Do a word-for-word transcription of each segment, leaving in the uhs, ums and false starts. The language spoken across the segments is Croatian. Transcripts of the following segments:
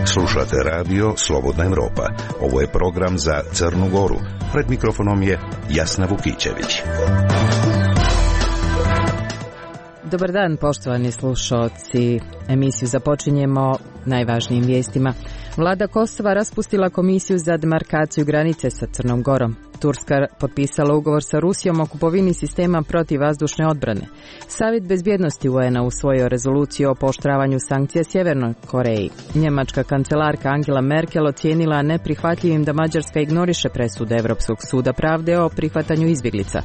Slušate radio Slobodna Evropa. Ovo je program za Crnu Goru. Pred mikrofonom je Jasna Vukićević. Dobar dan, poštovani slušalci. Emisiju započinjemo najvažnijim vijestima. Vlada Kosova raspustila komisiju za demarkaciju granice sa Crnom Gorom. Turska potpisala ugovor sa Rusijom o kupovini sistema protivvazdušne odbrane. Savjet bezbjednosti U N-a usvojio rezoluciju o pooštravanju sankcija Sjevernoj Koreji. Njemačka kancelarka Angela Merkel ocijenila neprihvatljivim da Mađarska ignoriše presude Europskog suda pravde o prihvatanju izbjeglica.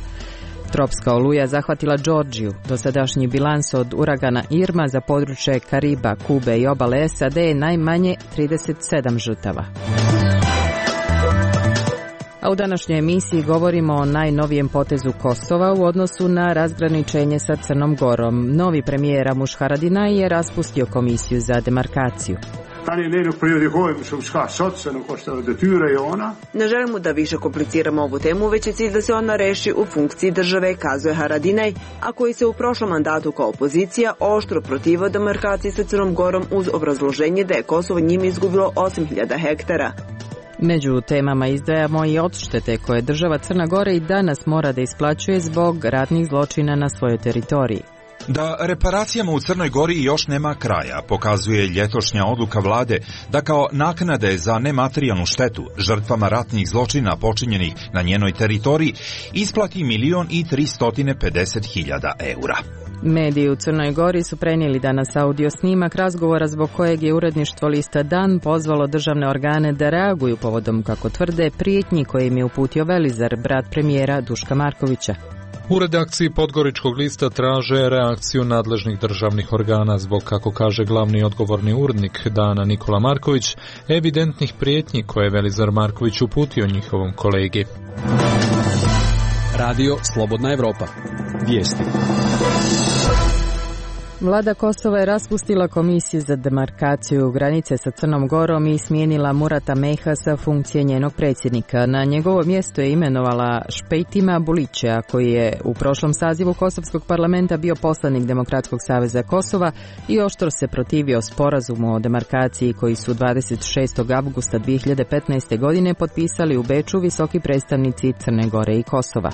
Tropska oluja zahvatila Džordžiju. Dosadašnji bilans od uragana Irma za područje Kariba, Kube i obale S A D je najmanje trideset sedam žrtava. A u današnjoj emisiji govorimo o najnovijem potezu Kosova u odnosu na razgraničenje sa Crnom Gorom. Novi premijer Ramush Haradinaj je raspustio komisiju za demarkaciju. Ne želimo da više kompliciramo ovu temu, već je cilj da se ona reši u funkciji države, kazuje Haradinaj, a koji se u prošlom mandatu kao opozicija oštro protivio demarkaciji sa Crnom Gorom uz obrazloženje da je Kosovo njime izgubilo osam hiljada hektara. Među temama izdvajamo i odštete koje država Crna Gora i danas mora da isplaćuje zbog ratnih zločina na svojoj teritoriji. Da reparacijama u Crnoj Gori još nema kraja, pokazuje ljetošnja odluka vlade da kao naknade za nematerijalnu štetu žrtvama ratnih zločina počinjenih na njenoj teritoriji isplati milion i tristotine pedeset hiljada eura. Mediji u Crnoj Gori su prenijeli danas audio snimak razgovora zbog kojeg je uredništvo lista Dan pozvalo državne organe da reaguju povodom, kako tvrde, prijetnji koje im je uputio Velizar, brat premijera Duška Markovića. U redakciji Podgoričkog lista traže reakciju nadležnih državnih organa zbog, kako kaže glavni odgovorni urednik Dana Nikola Marković, evidentnih prijetnji koje je Velizar Marković uputio njihovom kolegi. Radio Slobodna Evropa. Vijesti. Vlada Kosova je raspustila komisiju za demarkaciju granice sa Crnom Gorom i smijenila Murata Meha sa funkcije njenog predsjednika. Na njegovo mjesto je imenovala Špejtima Bulića, koji je u prošlom sazivu Kosovskog parlamenta bio poslanik Demokratskog saveza Kosova i oštro se protivio sporazumu o demarkaciji koji su dvadeset šestog avgusta dvije hiljade petnaeste. godine potpisali u Beču visoki predstavnici Crne Gore i Kosova.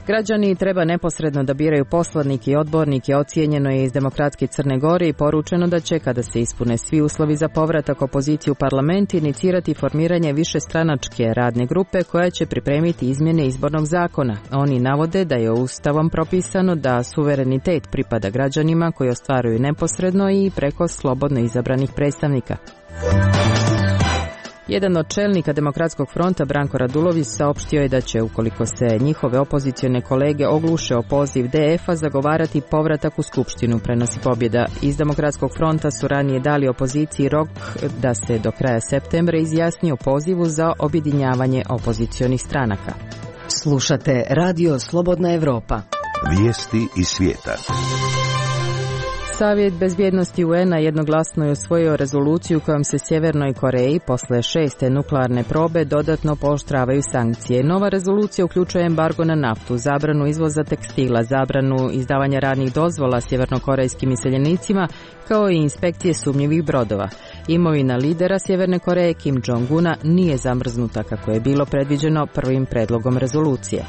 Građani treba neposredno da biraju poslanike i odbornike, ocijenjeno je iz Demokratske Crne Gore i poručeno da će, kada se ispune svi uslovi za povratak opozicije u parlament, inicirati formiranje višestranačke radne grupe koja će pripremiti izmjene izbornog zakona. Oni navode da je Ustavom propisano da suverenitet pripada građanima koji ostvaruju neposredno i preko slobodno izabranih predstavnika. Jedan od čelnika Demokratskog fronta, Branko Radulović, saopštio je da će, ukoliko se njihove opozicione kolege ogluše o poziv D F-a, zagovarati povratak u Skupštinu, prenosi Pobjeda. Iz Demokratskog fronta su ranije dali opoziciji rok da se do kraja septembra izjasni o pozivu za objedinjavanje opozicionih stranaka. Slušate Radio Slobodna Evropa. Vijesti iz svijeta. Savjet bezbjednosti U N-a jednoglasno je usvojio rezoluciju kojom se Sjevernoj Koreji posle šeste nuklearne probe dodatno pooštravaju sankcije. Nova rezolucija uključuje embargo na naftu, zabranu izvoza tekstila, zabranu izdavanja radnih dozvola sjevernokorejskim iseljenicima, kao i inspekcije sumnjivih brodova. Imovina lidera Sjeverne Koreje Kim Jong-una nije zamrznuta kako je bilo predviđeno prvim predlogom rezolucije.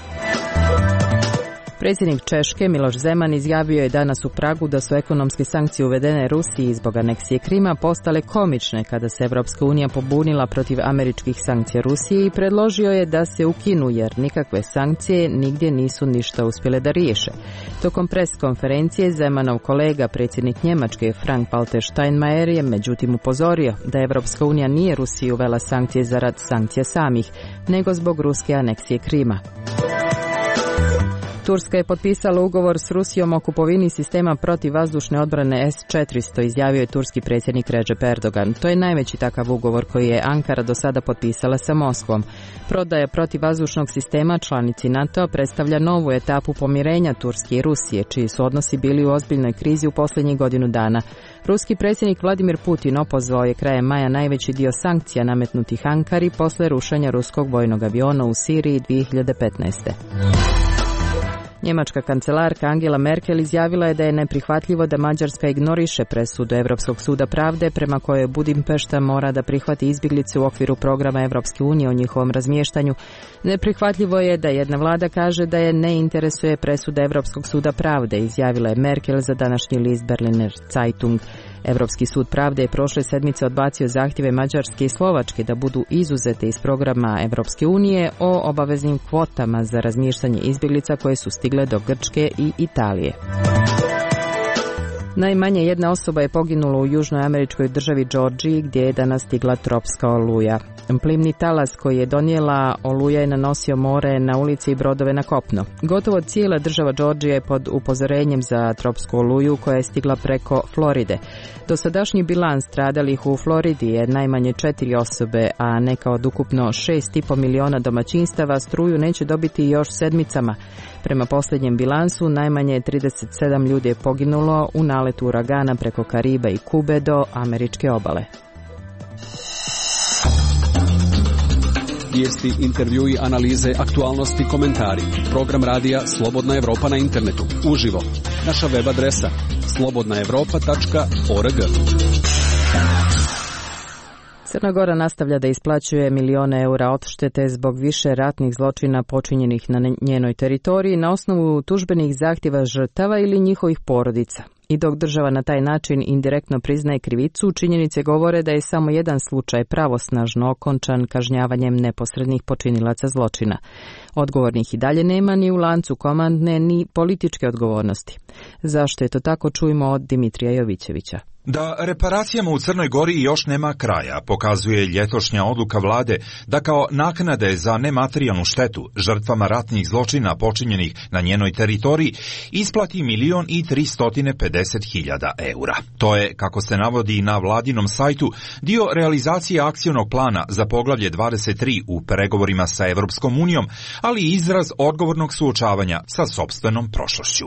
Predsjednik Češke Miloš Zeman izjavio je danas u Pragu da su ekonomske sankcije uvedene Rusiji zbog aneksije Krima postale komične kada se Evropska unija pobunila protiv američkih sankcija Rusije i predložio je da se ukinu jer nikakve sankcije nigdje nisu ništa uspjele da riješe. Tokom pres konferencije Zemanov kolega, predsjednik Njemačke Frank-Walter Steinmeier, je međutim upozorio da Evropska unija nije Rusiji uvela sankcije zarad sankcija samih, nego zbog ruske aneksije Krima. Turska je potpisala ugovor s Rusijom o kupovini sistema protivvazdušne odbrane S četiristo, izjavio je turski predsjednik Recep Erdogan. To je najveći takav ugovor koji je Ankara do sada potpisala sa Moskvom. Prodaja protivvazdušnog sistema članici NATO predstavlja novu etapu pomirenja Turske i Rusije, čiji su odnosi bili u ozbiljnoj krizi u posljednjih godinu dana. Ruski predsjednik Vladimir Putin opozvao je krajem maja najveći dio sankcija nametnutih Ankari posle rušenja ruskog vojnog aviona u Siriji dvije hiljade petnaeste. Njemačka kancelarka Angela Merkel izjavila je da je neprihvatljivo da Mađarska ignoriše presudu Europskog suda pravde prema kojoj Budimpešta mora da prihvati izbjeglice u okviru programa Europske unije o njihovom razmještanju. Neprihvatljivo je da jedna vlada kaže da je ne interesuje presuda Europskog suda pravde, izjavila je Merkel za današnji list Berliner Zeitung. Europski sud pravde je prošle sedmice odbacio zahtjeve Mađarske i Slovačke da budu izuzete iz programa Europske unije o obaveznim kvotama za razmještanje izbjeglica koje su stigle do Grčke i Italije. Najmanje jedna osoba je poginula u južnoj američkoj državi Georgiji gdje je danas stigla tropska oluja. Plimni talas koji je donijela oluja je nanosio more na ulici i brodove na kopno. Gotovo cijela država Georgija je pod upozorenjem za tropsku oluju koja je stigla preko Floride. Dosadašnji bilans stradalih u Floridi je najmanje četiri osobe, a neka od ukupno šest i pol miliona domaćinstava struju neće dobiti još sedmicama. Prema posljednjem bilansu, najmanje trideset sedam ljudi je poginulo u naletu uragana preko Kariba i Kube do američke obale. Vijesti, intervjui, analize, aktualnosti, komentari. Program radija Slobodna Evropa na internetu. Uživo. Naša web adresa slobodna evropa tačka org. Crna Gora nastavlja da isplaćuje milijone eura odštete zbog više ratnih zločina počinjenih na njenoj teritoriji na osnovu tužbenih zahtjeva žrtava ili njihovih porodica. I dok država na taj način indirektno priznaje krivicu, činjenice govore da je samo jedan slučaj pravosnažno okončan kažnjavanjem neposrednih počinilaca zločina. Odgovornih i dalje nema ni u lancu komandne ni političke odgovornosti. Zašto je to tako, čujemo od Dimitrija Jovićevića. Da reparacijama u Crnoj Gori još nema kraja, pokazuje ljetošnja odluka vlade da kao naknade za nematerijalnu štetu žrtvama ratnih zločina počinjenih na njenoj teritoriji isplati milion i tristotine pedeset hiljada eura. To je, kako se navodi na vladinom sajtu, dio realizacije akcionog plana za poglavlje dvadeset tri u pregovorima sa Evropskom unijom, ali i izraz odgovornog suočavanja sa sopstvenom prošlošću.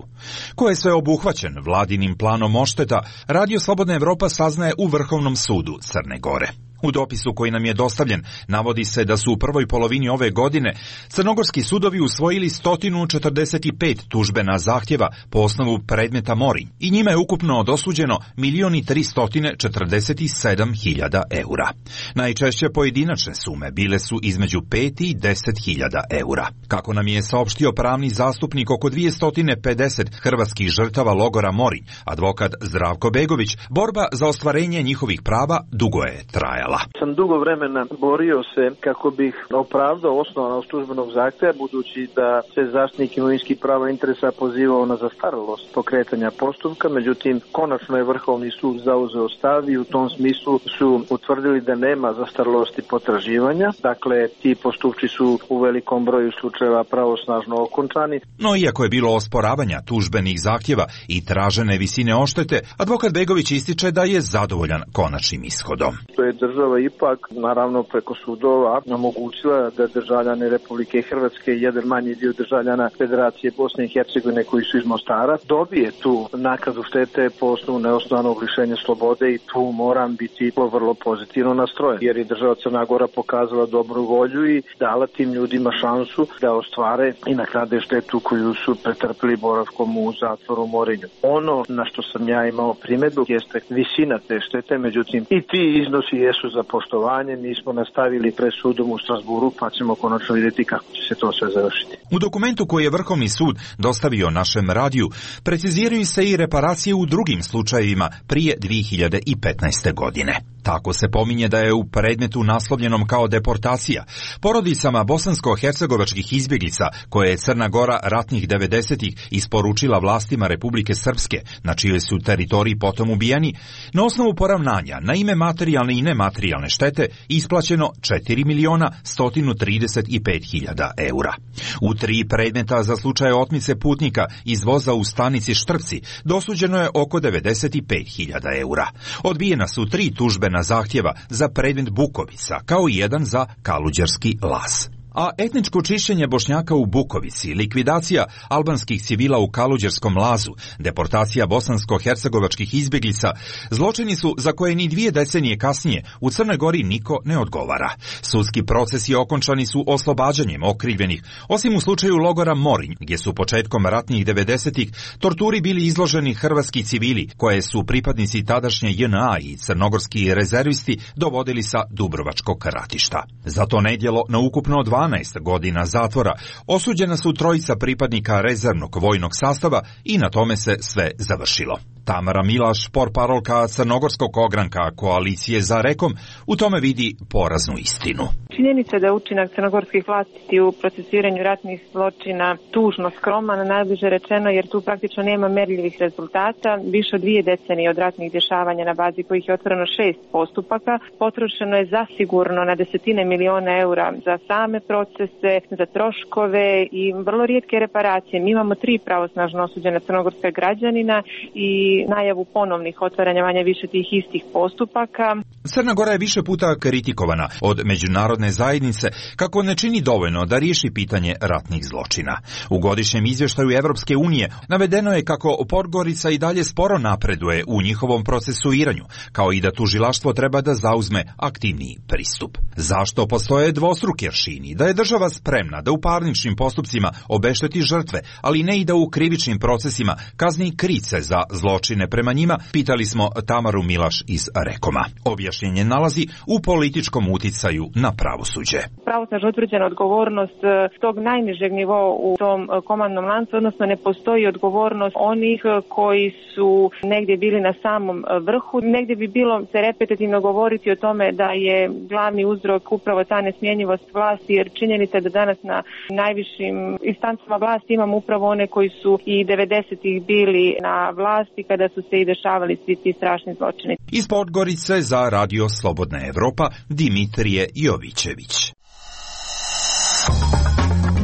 Ko je sve obuhvaćen vladinim planom odšteta, Radio Slobodna Evropa saznaje u Vrhovnom sudu Crne Gore. U dopisu koji nam je dostavljen navodi se da su u prvoj polovini ove godine crnogorski sudovi usvojili sto četrdeset pet tužbena zahtjeva po osnovu predmeta Morinj i njima je ukupno dosuđeno milion i tristotine četrdeset sedam hiljada eura. Najčešće pojedinačne sume bile su između pet i deset hiljada eura. Kako nam je saopštio pravni zastupnik oko dvjesto pedeset hrvatskih žrtava logora Morinj, advokat Zdravko Begović, borba za ostvarenje njihovih prava dugo je trajala. Sam dugo vremena borio se kako bih opravdao osnovanost tužbenog zahtjeva, budući da se zaštitnik imovinskih prava i interesa pozivao na zastarelost pokretanja postupka, međutim konačno je Vrhovni sud zauzeo stav i u tom smislu su utvrdili da nema zastarelosti potraživanja, dakle ti postupci su u velikom broju slučajeva pravosnažno okončani. No iako je bilo osporavanja tužbenih zahtjeva i tražene visine odštete, advokat Begović ističe da je zadovoljan konačnim ishodom. To je država ipak, naravno preko sudova, omogućila da državljani Republike Hrvatske i jedan manji dio državljana Federacije Bosne i Hercegovine koji su iz Mostara dobije tu naknadu štete po osnovu neosnovanog lišenja slobode i tu moram biti vrlo pozitivno nastrojen, jer je država Crna Gora pokazala dobru volju i dala tim ljudima šansu da ostvare i nakrade štetu koju su pretrpili boravkom u zatvoru Morinju. Ono na što sam ja imao primjedbu jeste visina te štete, međutim i ti iznosi jesu za poštovanje, mi smo nastavili pred sudom u Strasburu, pa ćemo konačno vidjeti kako će se to sve završiti. U dokumentu koji je Vrhovni sud dostavio našem radiju, preciziraju se i reparacije u drugim slučajevima prije dvije hiljade petnaeste. godine. Tako se pominje da je u predmetu naslovljenom kao deportacija porodicama bosansko-hercegovačkih izbjeglica koje je Crna Gora ratnih devedesetih isporučila vlastima Republike Srpske, na čijoj su teritoriji potom ubijeni, na osnovu poravnanja na ime materijalne i nematerijalne štete isplaćeno četiri miliona sto trideset pet hiljada eura. U tri predmeta za slučaje otmice putnika iz voza u stanici Štrpci dosuđeno je oko devedeset pet hiljada eura. Odbijena su tri tužbe na zahtjeva za predmet Bukovica, kao i jedan za Kaluđerski las. A etničko čišćenje Bošnjaka u Bukovici, likvidacija albanskih civila u Kaluđerskom lazu, deportacija bosansko-hercegovačkih izbjeglica, zločini su za koje ni dvije decenije kasnije u Crnoj Gori niko ne odgovara. Sudski procesi okončani su oslobađanjem okrivljenih, osim u slučaju logora Morinj, gdje su početkom ratnih devedesetih torturi bili izloženi hrvatski civili, koje su pripadnici tadašnje J N A i crnogorski rezervisti dovodili sa Dubrovačkog ratišta. Za to nedjelo na ukupno dvanaest godina zatvora osuđena su trojica pripadnika rezervnog vojnog sastava i na tome se sve završilo. Tamara Milaš, portparolka crnogorskog ogranka koalicije za Rekom, u tome vidi poraznu istinu. Činjenica da je učinak crnogorskih vlasti u procesuiranju ratnih zločina tužno skroman, najbliže rečeno, jer tu praktično nema merljivih rezultata. Više od dvije decenije od ratnih dešavanja, na bazi kojih je otvoreno šest postupaka, potrošeno je zasigurno na desetine miliona eura za same procese, za troškove i vrlo rijetke reparacije. Mi imamo tri pravosnažno osuđena crnogorska građanina i najavu ponovnih otvaranja manje više tih istih postupaka. Crna Gora je više puta kritikovana od međunarodne zajednice kako ne čini dovoljno da riješi pitanje ratnih zločina. U godišnjem izvještaju Evropske unije navedeno je kako Podgorica i dalje sporo napreduje u njihovom procesuiranju, kao i da tužilaštvo treba da zauzme aktivniji pristup. Zašto postoje dvostruki aršini? Da je država spremna da u parničnim postupcima obešteti žrtve, ali ne i da u krivičnim procesima kazni krice za zločine prema njima, pitali smo Tamaru Milaš iz Rekoma. Objašnjenje nalazi u političkom uticaju na pravosuđe. Pravosnažno utvrđena odgovornost tog najnižeg nivoa u tom komandnom lancu, odnosno ne postoji odgovornost onih koji su negdje bili na samom vrhu. Negdje bi bilo se repetitivno govoriti o tome da je glavni uzrok upravo ta nesmjenjivost vlasti, jer činjenica je da danas na najvišim instancama vlasti imamo upravo one koji su i devedesetih bili na vlasti kada su se i dešavali svi ti strašni zločini. Iz Podgorice za Radio Slobodna Evropa, Dimitrije Jovićević.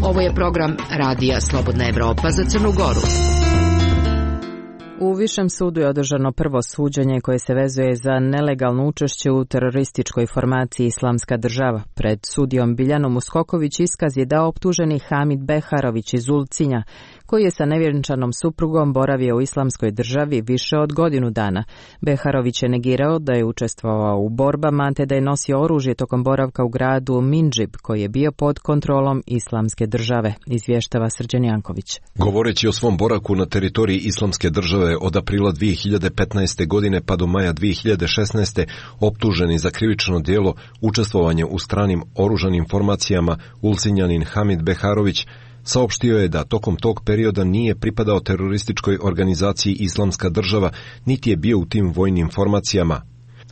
Ovo je program Radija Slobodna Evropa za Crnu Goru. U Višem sudu je održano prvo suđenje koje se vezuje za nelegalno učešće u terorističkoj formaciji Islamska država. Pred sudijom Biljanom Uskoković iskaz je dao optuženi Hamid Beharović iz Ulcinja, koji je sa nevjenčanom suprugom boravio u Islamskoj državi više od godinu dana. Beharović je negirao da je učestvovao u borbama, te da je nosio oružje tokom boravka u gradu Mindžib, koji je bio pod kontrolom Islamske države, izvještava Srđan Janković. Govoreći o svom boravku na teritoriji Islamske države od aprila dvije hiljade petnaeste. godine pa do maja dvije hiljade šesnaeste. optuženi za krivično djelo učestvovanje u stranim oružanim formacijama, Ulcinjanin Hamid Beharović saopštio je da tokom tog perioda nije pripadao terorističkoj organizaciji Islamska država, niti je bio u tim vojnim formacijama.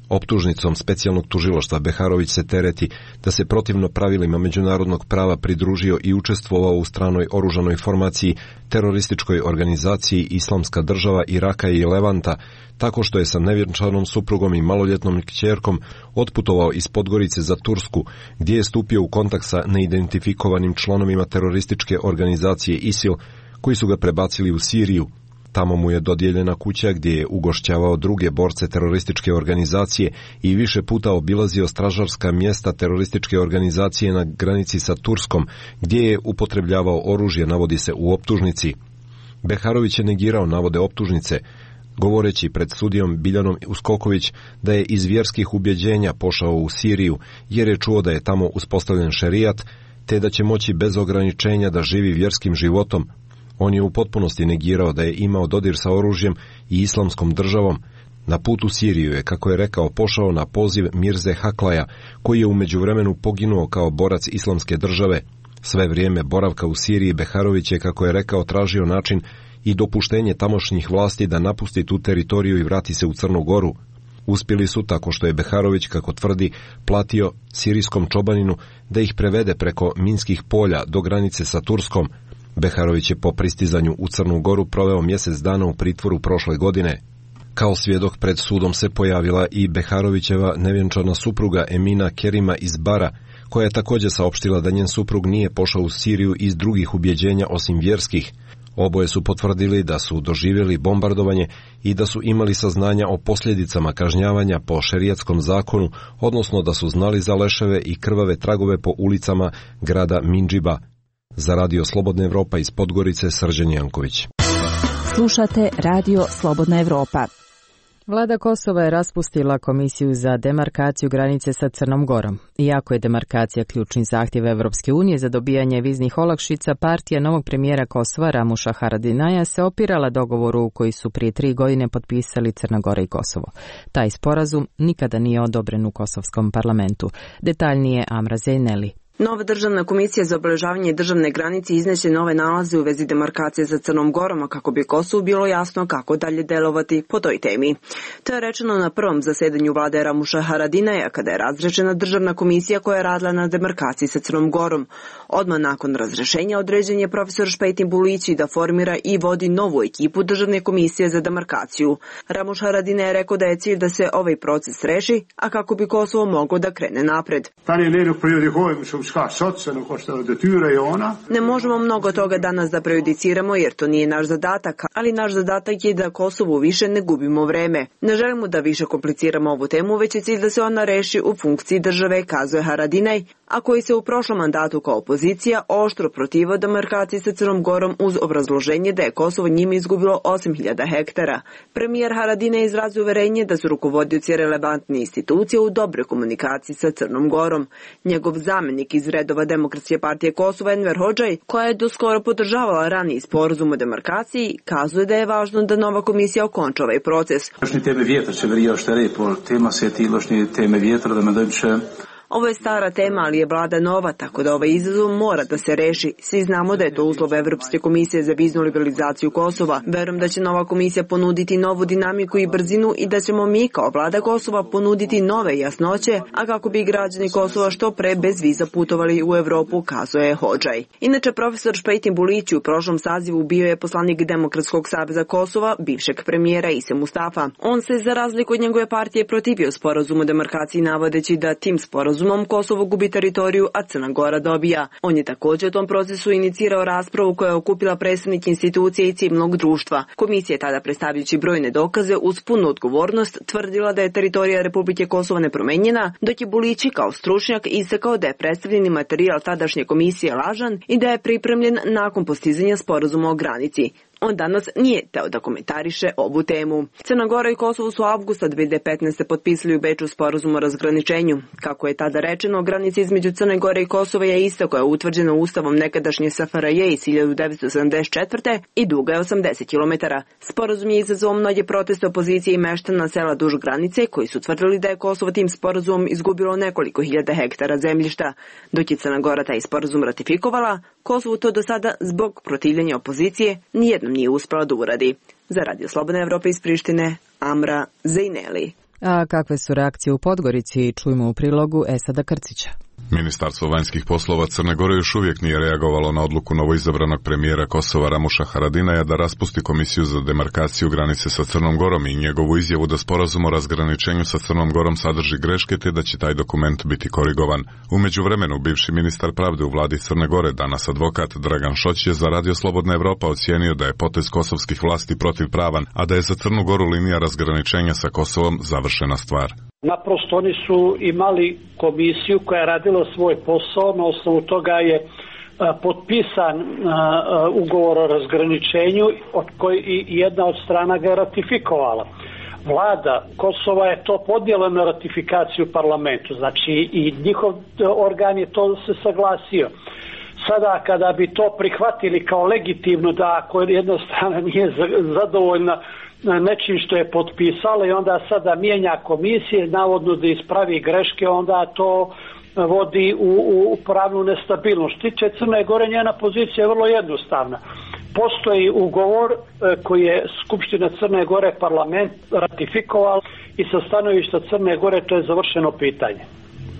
Optužnicom specijalnog tužilaštva Beharović se tereti da se protivno pravilima međunarodnog prava pridružio i učestvovao u stranoj oružanoj formaciji terorističkoj organizaciji Islamska država Iraka i Levanta, tako što je sa nevjenčanom suprugom i maloljetnom kćerkom otputovao iz Podgorice za Tursku, gdje je stupio u kontakt sa neidentifikovanim članovima terorističke organizacije ISIL, koji su ga prebacili u Siriju. Tamo mu je dodijeljena kuća gdje je ugošćavao druge borce terorističke organizacije i više puta obilazio stražarska mjesta terorističke organizacije na granici sa Turskom, gdje je upotrebljavao oružje, navodi se u optužnici. Beharović je negirao navode optužnice, govoreći pred sudijom Biljanom Uskoković da je iz vjerskih ubjeđenja pošao u Siriju, jer je čuo da je tamo uspostavljen šerijat, te da će moći bez ograničenja da živi vjerskim životom. On je u potpunosti negirao da je imao dodir sa oružjem i Islamskom državom. Na put u Siriju je, kako je rekao, pošao na poziv Mirze Haklaja, koji je u međuvremenu poginuo kao borac Islamske države. Sve vrijeme boravka u Siriji Beharović je, kako je rekao, tražio način i dopuštenje tamošnjih vlasti da napusti tu teritoriju i vrati se u Crnu Goru. Uspjeli su tako što je Beharović, kako tvrdi, platio sirijskom čobaninu da ih prevede preko minskih polja do granice sa Turskom. Beharović je po pristizanju u Crnu Goru proveo mjesec dana u pritvoru prošle godine. Kao svjedok pred sudom se pojavila i Beharovićeva nevjenčana supruga Emina Kerima iz Bara, koja je također saopštila da njen suprug nije pošao u Siriju iz drugih ubjeđenja osim vjerskih. Oboje su potvrdili da su doživjeli bombardovanje i da su imali saznanja o posljedicama kažnjavanja po šerijatskom zakonu, odnosno da su znali za leševe i krvave tragove po ulicama grada Mindžiba. Za Radio Slobodna Evropa iz Podgorice, Srđan Janković. Slušate Radio Slobodna Evropa. Vlada Kosova je raspustila komisiju za demarkaciju granice sa Crnom Gorom. Iako je demarkacija ključni zahtjev Evropske unije za dobijanje viznih olakšica, partija novog premijera Kosova Ramuša Haradinaja se opirala dogovoru koji su prije tri godine potpisali Crna Gora i Kosovo. Taj sporazum nikada nije odobren u kosovskom parlamentu. Detaljnije Amra Zejneli. Nova državna komisija za obeležavanje državne granice izneće nove nalaze u vezi demarkacije sa Crnom Gorom, kako bi Kosovu bilo jasno kako dalje delovati po toj temi. To je rečeno na prvom zasedanju vlade Ramuša Haradinaja, kada je razrečena državna komisija koja je radila na demarkaciji sa Crnom Gorom. Odmah nakon razrešenja određen je profesor Špejtin Bulići da formira i vodi novu ekipu državne komisije za demarkaciju. Ramuš Haradinaj je rekao da je cilj da se ovaj proces reši, a kako bi Kosovo moglo da krene napred. Ne možemo mnogo toga danas da prejudiciramo jer to nije naš zadatak, ali naš zadatak je da Kosovu više ne gubimo vreme. Ne želimo da više kompliciramo ovu temu, već je cilj da se ona reši u funkciji države, kazuje Haradinaj, a koji se u prošlom mandatu kao opozicija oštro protivio demarkaciji sa Crnom Gorom uz obrazloženje da je Kosovo njime izgubilo osam hiljada hektara. Premijer Haradinaj izrazio uverenje da su rukovodioci relevantne institucije u dobroj komunikaciji sa Crnom Gorom. Njegov zamenik iz redova Demokratske partije Kosova Enver Hodžaj, koja je doskoro podržavala raniji sporazum o demarkaciji, kazuje da je važno da nova komisija okonča ovaj proces. Ovo je stara tema, ali je vlada nova, tako da ovaj izazov mora da se reši. Svi znamo da je to uslov Evropske komisije za viznu liberalizaciju Kosova. Verujem da će nova komisija ponuditi novu dinamiku i brzinu i da ćemo mi kao vlada Kosova ponuditi nove jasnoće, a kako bi građani Kosova što pre bez viza putovali u Evropu, kazuje Hodžaj. Inače, profesor Špejtin Bulići u prošlom sazivu bio je poslanik Demokratskog saveza Kosova, bivšeg premijera Ise Mustafa. On se, za razliku od njegove partije, protivio sporazumu o demarkaciji, navodeći da tim sporazumom Kosovo gubi teritoriju, a Crna Gora dobija. On je također u tom procesu inicirao raspravu koja je okupila predstavnike institucije i civilnog društva. Komisija je tada, predstavljajući brojne dokaze uz punu odgovornost, tvrdila da je teritorija Republike Kosovo nepromenjena, dok je Bulići kao stručnjak istakao da je predstavljeni materijal tadašnje komisije lažan i da je pripremljen nakon postizanja sporazuma o granici. On danas nije teo da komentariše ovu temu. Crna Gora i Kosovo su avgusta dve hiljade petnaeste. potpisali u Beču sporazum o razgraničenju. Kako je tada rečeno, granica između Crne Gore i Kosova je ista koja je utvrđena ustavom nekadašnje S F R J iz hiljadu devetsto sedamdeset četvrte. i duga je osamdeset kilometara. Sporazum je izazvao mnoge proteste opozicije i meštana sela duž granice, koji su tvrdili da je Kosovo tim sporazumom izgubilo nekoliko hiljada hektara zemljišta. Dok je Crna Gora taj sporazum ratifikovala, Kosovo to do sada zbog protivljenja opozicije nijednom nije uspela da uradi. Za Radio Slobodna Evropa iz Prištine, Amra Zejneli. A kakve su reakcije u Podgorici, čujemo u prilogu Esada Krcića. Ministarstvo vanjskih poslova Crne Gore još uvijek nije reagovalo na odluku novoizabranog premijera Kosova Ramuša Haradinaja da raspusti komisiju za demarkaciju granice sa Crnom Gorom i njegovu izjavu da sporazum o razgraničenju sa Crnom Gorom sadrži greške te da će taj dokument biti korigovan. U međuvremenu, bivši ministar pravde u vladi Crne Gore, danas advokat Dragan Šoć, je za Radio Slobodna Evropa ocijenio da je potez kosovskih vlasti protivpravan, a da je za Crnu Goru linija razgraničenja sa Kosovom završena stvar. Naprosto oni su imali komisiju koja je radila svoj posao, na osnovu toga je a, potpisan a, a, ugovor o razgraničenju od koji i jedna od strana ga je ratifikovala. Vlada Kosova je to podnijela na ratifikaciju parlamentu, znači i njihov organ je to se saglasio. Sada kada bi to prihvatili kao legitimno, da ako jedna strana nije zadovoljna nečim što je potpisala i onda sada mijenja komisije, navodno da ispravi greške, onda to vodi u, u pravnu nestabilnost. Tiče Crne Gore, njena pozicija je vrlo jednostavna. Postoji ugovor koji je Skupština Crne Gore parlament ratifikoval i sa stanovišta Crne Gore to je završeno pitanje.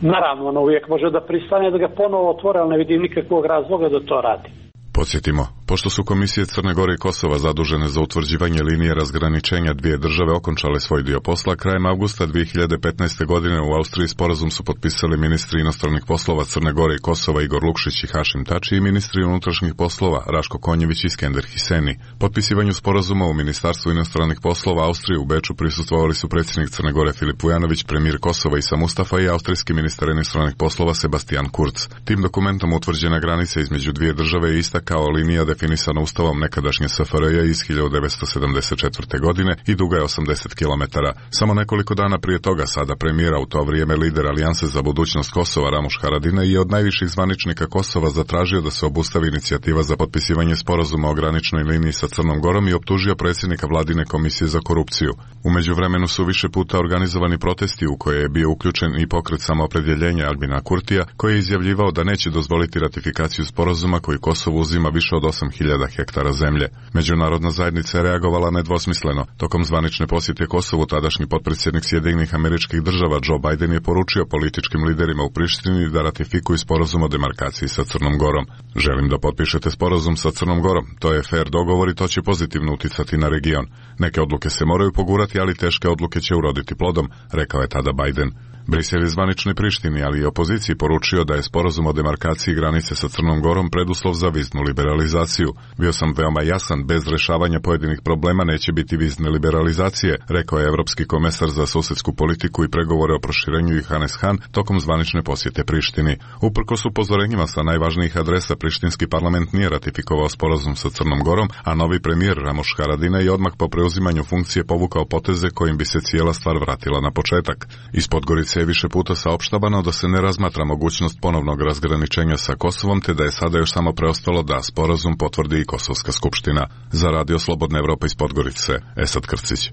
Naravno, ono uvijek može da pristane da ga ponovo otvore, ali ne vidim nikakvog razloga da to radi. Podsjetimo, Pošto su komisije Crne Gore i Kosova zadužene za utvrđivanje linije razgraničenja dvije države okončale svoj dio posla, krajem avgusta dvije hiljade petnaeste. godine u Austriji sporazum su potpisali ministri inostranih poslova Crne Gore i Kosova Igor Lukšić i Hašim Tači i ministri unutrašnjih poslova Raško Konjević i Skender Hiseni. Potpisivanju sporazuma u Ministarstvu inostranih poslova Austrije u Beču prisustvovali su predsjednik Crne Gore Filip Vujanović, premijer Kosova Isa Mustafa i austrijski ministar inostranih poslova Sebastian Kurz. Tim dokumentom utvrđena granica između dvije države je ista kao linija definisana ustavom nekadašnje S F R J iz hiljadu devetsto sedamdeset četvrte. godine i duga je osamdeset kilometara. Samo nekoliko dana prije toga sada premijera u to vrijeme lider Alijanse za budućnost Kosova Ramuš Haradinaj je od najviših zvaničnika Kosova zatražio da se obustavi inicijativa za potpisivanje sporazuma o graničnoj liniji sa Crnom Gorom i optužio predsjednika vladine komisije za korupciju. U međuvremenu su više puta organizovani protesti u koje je bio uključen i pokret samoopredjeljenja Albina Kurtija, koji je izjavljivao da neće dozvoliti ratifikaciju sporazuma koji Kosovo uzima više od osam hiljada hektara zemlje. Međunarodna zajednica je reagovala nedvosmisleno. Tokom zvanične posjete Kosovu tadašnji potpredsjednik Sjedinjenih Američkih Država Joe Biden je poručio političkim liderima u Prištini da ratifikuju sporazum o demarkaciji sa Crnom Gorom. Želim da potpišete sporazum sa Crnom Gorom. To je fair dogovor i to će pozitivno uticati na region. Neke odluke se moraju pogurati, ali teške odluke će uroditi plodom, rekao je tada Biden. Brisel je zvaničnoj Prištini, ali i opoziciji poručio da je sporazum o demarkaciji granice sa Crnom Gorom preduslov za viznu liberalizaciju. Bio sam veoma jasan, bez rešavanja pojedinih problema neće biti vizne liberalizacije, rekao je evropski komesar za susedsku politiku i pregovore o proširenju Johannes Hahn tokom zvanične posjete Prištini. Uprkos upozorenjima sa najvažnijih adresa, prištinski parlament nije ratifikovao sporazum sa Crnom Gorom, a novi premijer Ramuš Haradinaj je odmah po preuzimanju funkcije povukao poteze kojim bi se cijela stvar vratila na početak. Iz Podgorice je više puta saopštavano da se ne razmatra mogućnost ponovnog razgraničenja sa Kosovom, te da je sada još samo preostalo da sporazum potvrdi i Kosovska skupština. Za Radio Slobodna Evropa iz Podgorice, Esad Krcić.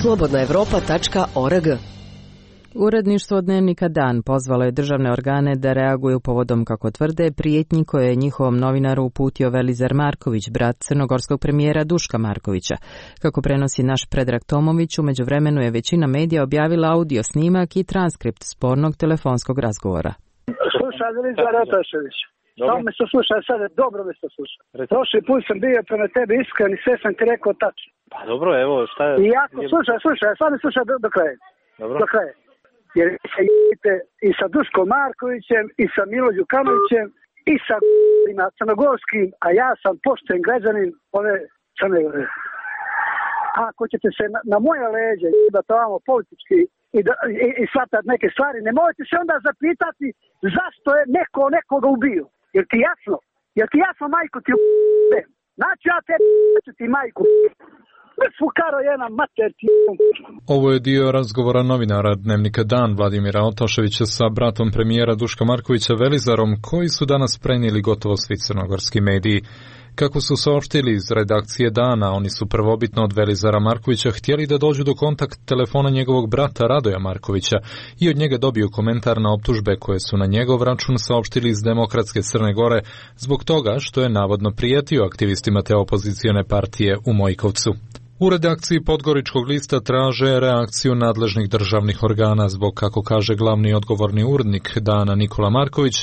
slobodna evropa tačka org. Uredništvo dnevnika Dan pozvalo je državne organe da reaguju povodom, kako tvrde, prijetnji koje je njihovom novinaru uputio Velizar Marković, brat crnogorskog premijera Duška Markovića. Kako prenosi naš Predrag Tomović, u međuvremenu je većina medija objavila audio snimak i transkript spornog telefonskog razgovora. Slušaj, Velizar Otašević. Samo me se sluša, sad dobro me se sluša. Prošli put sam bio prema tebi iskren i sve sam ti rekao tačno. Pa dobro, evo, šta je... I jako, slušaj, slušaj, sad me slušaj do, do kraja. Dobro. Do kraja. Jer se jedite i sa Duškom Markovićem, i sa Milo Đukanovićem, i sa crnogorskim, a ja sam pošten građanin ove Crne Gore. Ako ćete se na, na moje leđe da to vamo politički i, da, i, i shvatati neke stvari, ne možete se onda zapitati zašto je neko nekoga ubio. Jer ti jasno, jer ti jasno majku ti ubio. Znači ja te ću ti majku Ovo je dio razgovora novinara dnevnika Dan Vladimira Otaševića sa bratom premijera Duška Markovića Velizarom, koji su danas prenijeli gotovo svi crnogorski mediji. Kako su saopštili iz redakcije Dana, oni su prvobitno od Velizara Markovića htjeli da dođu do kontakt telefona njegovog brata Radoja Markovića i od njega dobiju komentar na optužbe koje su na njegov račun saopštili iz Demokratske Crne Gore zbog toga što je navodno prijetio aktivistima te opozicione partije u Mojkovcu. U redakciji Podgoričkog lista traže reakciju nadležnih državnih organa zbog, kako kaže glavni odgovorni urednik Dana Nikola Marković,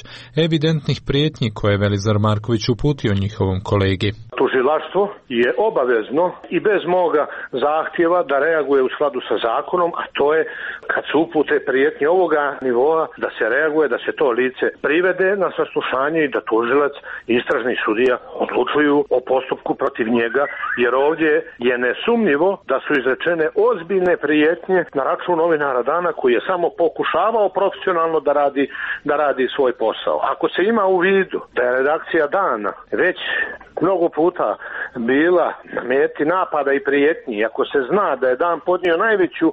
evidentnih prijetnji koje je Velizar Marković uputio njihovom kolegi. Tužilaštvo je obavezno i bez moga zahtjeva da reaguje u skladu sa zakonom, a to je kad se upute prijetnje ovoga nivoa da se reaguje, da se to lice privede na saslušanje i da tužilac i istražni sudija odlučuju o postupku protiv njega, jer ovdje je nesumnjivo da su izrečene ozbiljne prijetnje na račun novinara Dana koji je samo pokušavao profesionalno da radi, da radi svoj posao. Ako se ima u vidu da je redakcija Dana već mnogo puta bila na meti napada i prijetnji, ako se zna da je Dan podnio najveću e,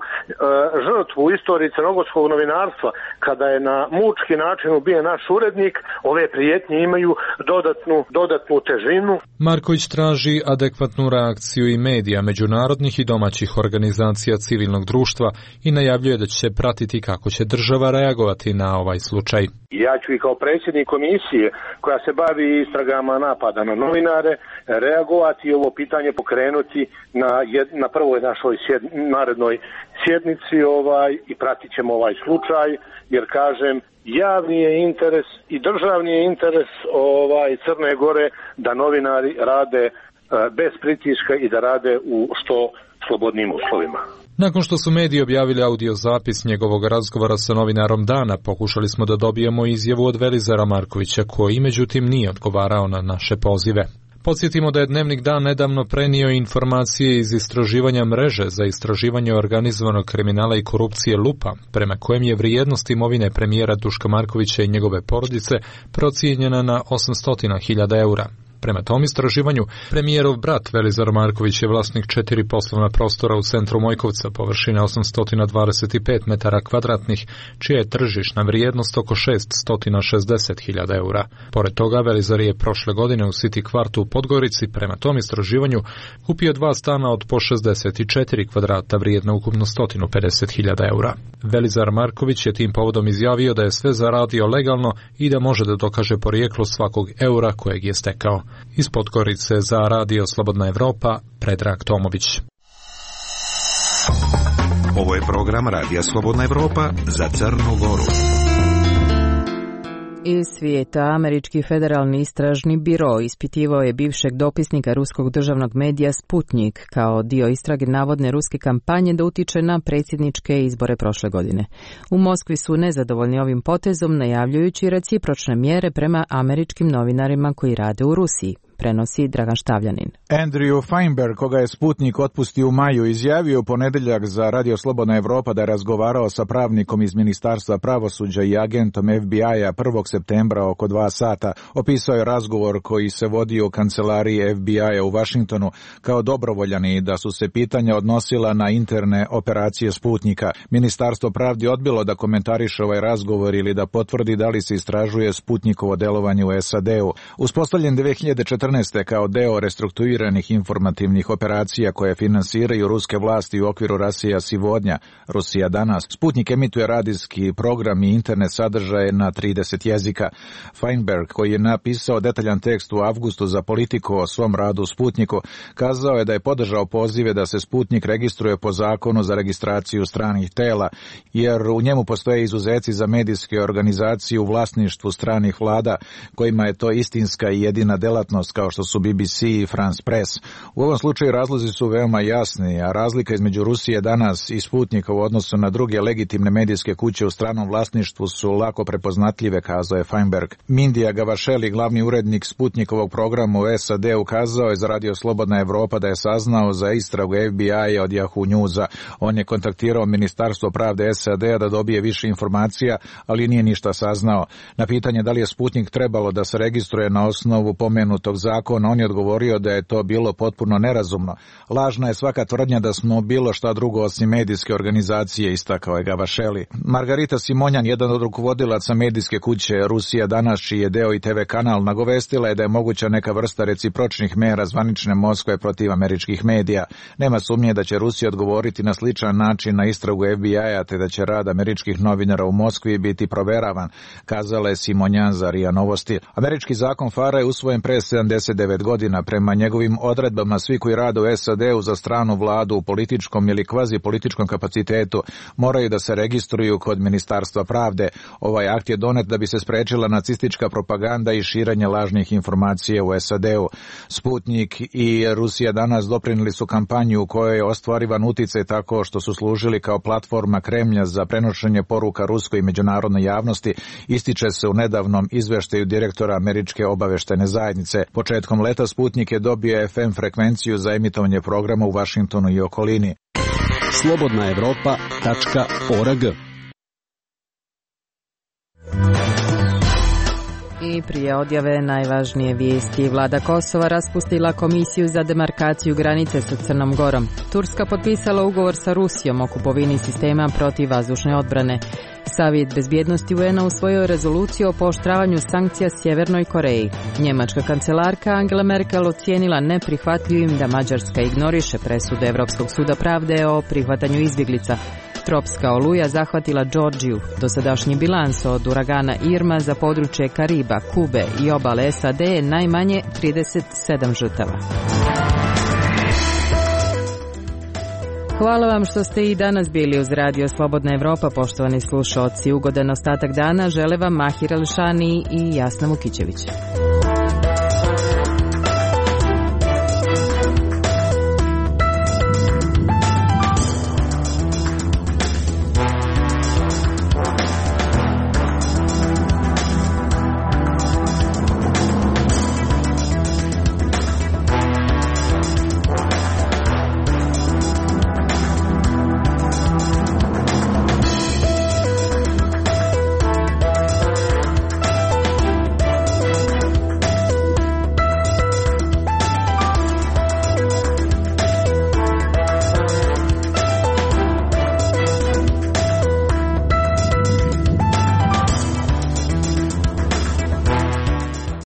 žrtvu u istoriji crnogorskog novinarstva kada je na mučki način ubijen naš urednik, ove prijetnje imaju dodatnu, dodatnu težinu. Marković traži adekvatnu reakciju i medija, međunarodnih i domaćih organizacija civilnog društva i najavljuje da će pratiti kako će država reagovati na ovaj slučaj. Ja ću i kao predsjednik komisije koja se bavi istragama napada na novinare reagovati i ovo pitanje pokrenuti na, jed, na prvoj našoj sjed, narednoj sjednici ovaj, i pratit ćemo ovaj slučaj, jer kažem javni je interes i državni je interes ovaj Crne Gore da novinari rade bez pritiska i da rade u što slobodnim uslovima. Nakon što su mediji objavili audio zapis njegovog razgovora sa novinarom dana, pokušali smo da dobijemo izjavu od Velizara Markovića, koji međutim nije odgovarao na naše pozive. Podsjetimo da je Dnevnik Dan nedavno prenio informacije iz istraživanja mreže za istraživanje organizovanog kriminala i korupcije Lupa, prema kojem je vrijednost imovine premijera Duška Markovića i njegove porodice procijenjena na osamsto hiljada eura. Prema tom istraživanju, premijerov brat Velizar Marković je vlasnik četiri poslovna prostora u centru Mojkovca, površine osamsto dvadeset pet metara kvadratnih, čija je tržišna vrijednost oko šeststo šezdeset hiljada eura. Pored toga, Velizar je prošle godine u City kvartu u Podgorici, prema tom istraživanju, kupio dva stana od po šezdeset četiri kvadrata vrijedna ukupno sto pedeset hiljada eura. Velizar Marković je tim povodom izjavio da je sve zaradio legalno i da može da dokaže porijeklo svakog eura kojeg je stekao. Iz Podgorice za Radio Slobodna Evropa, Predrag Tomović. Ovo je program Radija Slobodna Evropa za Crnu Goru. Iz svijeta, Američki federalni istražni biro ispitivao je bivšeg dopisnika ruskog državnog medija Sputnik kao dio istrage navodne ruske kampanje da utiče na predsjedničke izbore prošle godine. U Moskvi su nezadovoljni ovim potezom, najavljujući recipročne mjere prema američkim novinarima koji rade u Rusiji. Prenosi Dragan Štavljanin. Andrew Feinberg, koga je Sputnik otpustio u maju, izjavio u ponedjeljak za Radio Slobodna Evropa da je razgovarao sa pravnikom iz Ministarstva pravosuđa i agentom F B I-a prvog septembra oko dva sata. Opisao je razgovor koji se vodio u kancelariji F B I-a u Vašingtonu kao dobrovoljan i da su se pitanja odnosila na interne operacije Sputnika. Ministarstvo pravdi odbilo da komentariše ovaj razgovor ili da potvrdi da li se istražuje Sputnikovo delovanje u S A D-u. Uspostavljen dve hiljade četrnaeste. kao deo restrukturiranih informativnih operacija koje finansiraju ruske vlasti u okviru Rasija Sivodnja, Rusija danas. Sputnik emituje radijski program i internet sadržaje na trideset jezika. Feinberg, koji je napisao detaljan tekst u avgustu za Politiku o svom radu u Sputniku, kazao je da je podržao pozive da se Sputnik registruje po zakonu za registraciju stranih tela, jer u njemu postoje izuzeci za medijske organizacije u vlasništvu stranih vlada, kojima je to istinska i jedina delatnost, kao što su B B C i France Press. U ovom slučaju razlozi su veoma jasni, a razlika između Rusije danas i Sputnika u odnosu na druge legitimne medijske kuće u stranom vlasništvu su lako prepoznatljive, kazao je Feinberg. Mindija Gavašeli, glavni urednik Sputnikovog programa u S A D, ukazao je za Radio Slobodna Evropa da je saznao za istragu F B I-a od Yahoo Newsa. On je kontaktirao Ministarstvo pravde S A D-a da dobije više informacija, ali nije ništa saznao. Na pitanje da li je Sputnik trebalo da se registruje na osnovu pomenutog zakona, on je odgovorio da je to bilo potpuno nerazumno. Lažna je svaka tvrdnja da smo bilo šta drugo osim medijske organizacije, istakao je Gavašeli. Margarita Simonjan, jedan od rukovodilaca medijske kuće Rusija danas, čiji je deo i T V kanal, nagovestila je da je moguća neka vrsta recipročnih mera zvanične Moskve protiv američkih medija. Nema sumnje da će Rusija odgovoriti na sličan način na istragu F B I-a, te da će rad američkih novinara u Moskvi biti proveravan, kazala je Simonjan za R I A Novosti. Američki zakon F A R A je usvojen pre sedamdeset devet godina. Prema njegovim odredbama svi koji rade u S A D-u za stranu vladu u političkom ili kvazi političkom kapacitetu moraju da se registruju kod Ministarstva pravde. Ovaj akt je donet da bi se sprečila nacistička propaganda i širenje lažnih informacija u S A D-u. Sputnik i Rusija danas doprinijeli su kampanju u kojoj je ostvarivan uticaj tako što su služili kao platforma Kremlja za prenošenje poruka ruskoj i međunarodnoj javnosti, ističe se u nedavnom izveštaju direktora Američke obaveštene zajednice. Početkom leta Sputnik je dobio F M frekvenciju za emitovanje programa u Vašingtonu i okolini. slobodna evropa tačka org. I prije odjave najvažnije vijesti. Vlada Kosova raspustila komisiju za demarkaciju granice sa Crnom Gorom. Turska potpisala ugovor sa Rusijom o kupovini sistema protivvazdušne odbrane. Savjet bezbjednosti U N-a usvojio rezoluciju o pooštravanju sankcija Sjevernoj Koreji. Njemačka kancelarka Angela Merkel ocijenila neprihvatljivim da Mađarska ignoriše presudu Europskog suda pravde o prihvatanju izbjeglica. Tropska oluja zahvatila Džordžiju. Dosadašnji bilans od uragana Irma za područje Kariba, Kube i obale S A D je najmanje trideset sedam žrtava. Hvala vam što ste i danas bili uz Radio Slobodna Evropa, poštovani slušaoci. Ugodan ostatak dana žele vam Mahir Elšani i Jasna Vukićević.